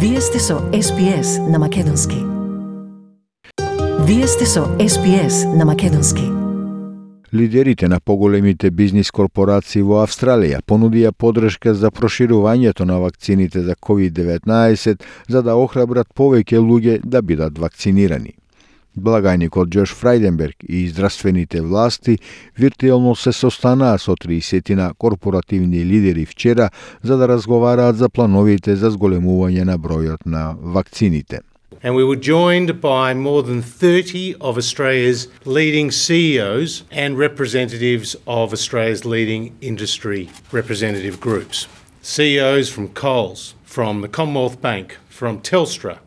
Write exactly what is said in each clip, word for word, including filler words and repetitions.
Вие сте со Ес Би Ес на Македонски. Вие сте со Ес Би Ес на Македонски. Лидерите на поголемите бизнис корпорации во Австралија понудија поддршка за проширувањето на вакцините за ковид деветнаесет за да охрабрат повеќе луѓе да бидат вакцинирани. Благајникот Џош Фрајденберг и здравствените власти виртуелно се состанаа со триесет корпоративни лидери вчера за да разговараат за плановите за зголемување на бројот на вакцините. And we were joined by more than thirty of Australia's leading C E Os and representatives of Australia's leading industry representative groups. C E Os from Coles, from the Commonwealth Bank, from Telstra,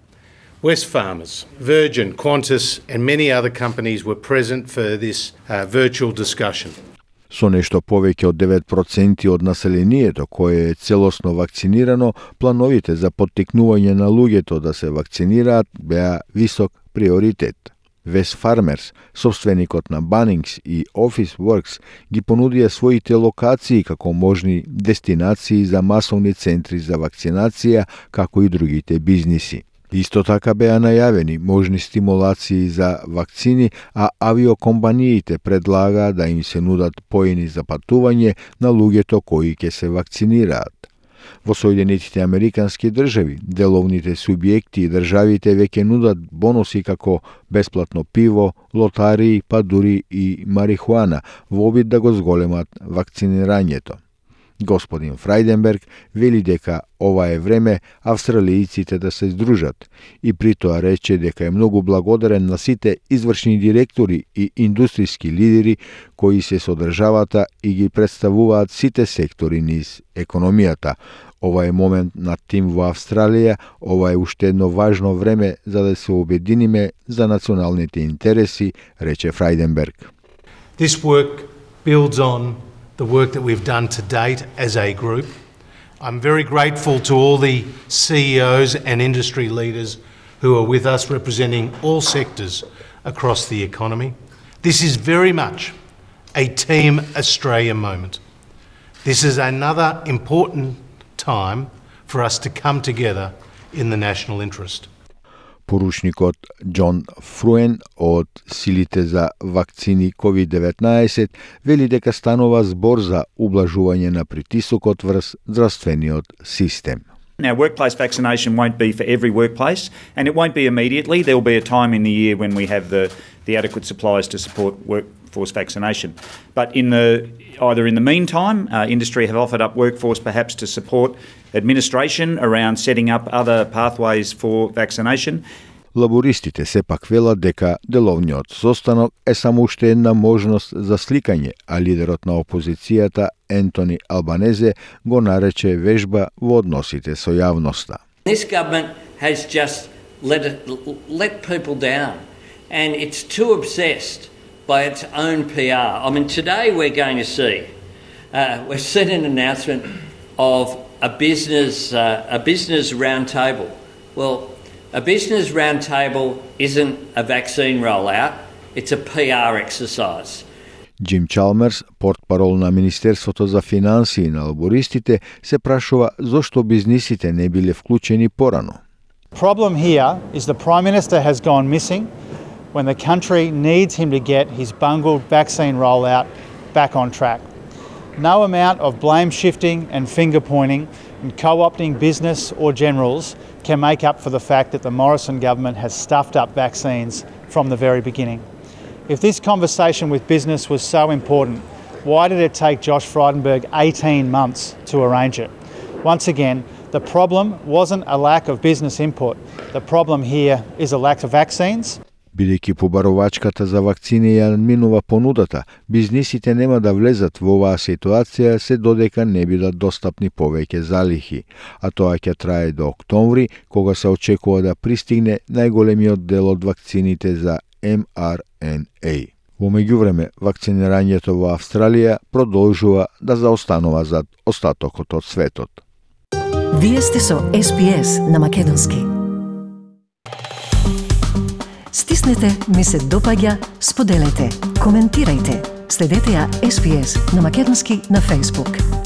Wesfarmers, Virgin, Qantas and many other companies were present for this uh, virtual discussion. Со нешто повеќе од девет проценти од населението кое е целосно вакцинирано, плановите за поттикнување на луѓето да се вакцинираат беа висок приоритет. Wesfarmers, собственикот на Bunnings и Officeworks, ги понудија своите локации како можни дестинации за масовни центри за вакцинација, како и другите бизниси. Исто така беа најавени можни стимулации за вакцини, а авиокомпаниите предлагаат да им се нудат поени за патување на луѓето кои ќе се вакцинираат. Во Соединетите Американски држави, деловните субјекти и државите веќе нудат бонуси како бесплатно пиво, лотарии, па дури и марихуана во обид да го зголемат вакцинирањето. Господин Фрајденберг вели дека ова е време австралијците да се здружат и при тоа рече дека е многу благодарен на сите извршни директори и индустријски лидери кои се со државата и ги представуваат сите сектори низ економијата. Ова е момент на тим во Австралија, ова е уште едно важно време за да се обединиме за националните интереси, рече Фрајденберг. This work builds on the work that we've done to date as a group. I'm very grateful to all the C E Os and industry leaders who are with us representing all sectors across the economy. This is very much a Team Australia moment. This is another important time for us to come together in the national interest. Поручникот Џон Фруен од силите за вакцини ковид деветнаесет вели дека станува збор за ублажување на притисокот врз здравствениот систем. Now, workplace vaccination won't be for every workplace, and it won't be immediately. There will be a time in the year when we have the, the adequate supplies to support workforce vaccination. But in the either in the meantime, uh, industry have offered up workforce perhaps to support administration around setting up other pathways for vaccination. Лабористите сепак велат дека деловниот состанок е само уште една можност за сликање, а лидерот на опозицијата Ентони Албанезе го нарече вежба во односите со јавноста. This government has just let it, let people down, and it's too obsessed by its own P R. I mean, today we're going to see, uh, we've seen an announcement of a business, uh, a business roundtable. Well, a business roundtable isn't a vaccine rollout, it's a P R exercise. Джим Чалмерс, портпарол на Министерството за финансии на лабористите, се прашува зошто бизнисите не биле вклучени порано. Problem here is the Prime Minister has gone missing when the country needs him to get his bungled vaccine rollout back on track. No amount of blame shifting and finger pointing and co-opting business or generals can make up for the fact that the Morrison government has stuffed up vaccines from the very beginning. If this conversation with business was so important, why did it take Josh Frydenberg eighteen months to arrange it? Once again, the problem wasn't a lack of business input. The problem here is a lack of vaccines. Бидејќи побарувачката за вакцини ја минува понудата, бизнисите нема да влезат во оваа ситуација се додека не бидат достапни повеќе залихи, а тоа ќе трае до октомври, кога се очекува да пристигне најголемиот дел од вакцините за Ем Ар Ен Ей. Во меѓувреме, вакцинирањето во Австралија продолжува да заостанува зад остатокот од светот. Вие сте со Ес Би Ес на Македонски. Стиснете, ми се допаѓа, споделете, коментирајте. Следете ја Ес Би Ес на Македонски на Facebook.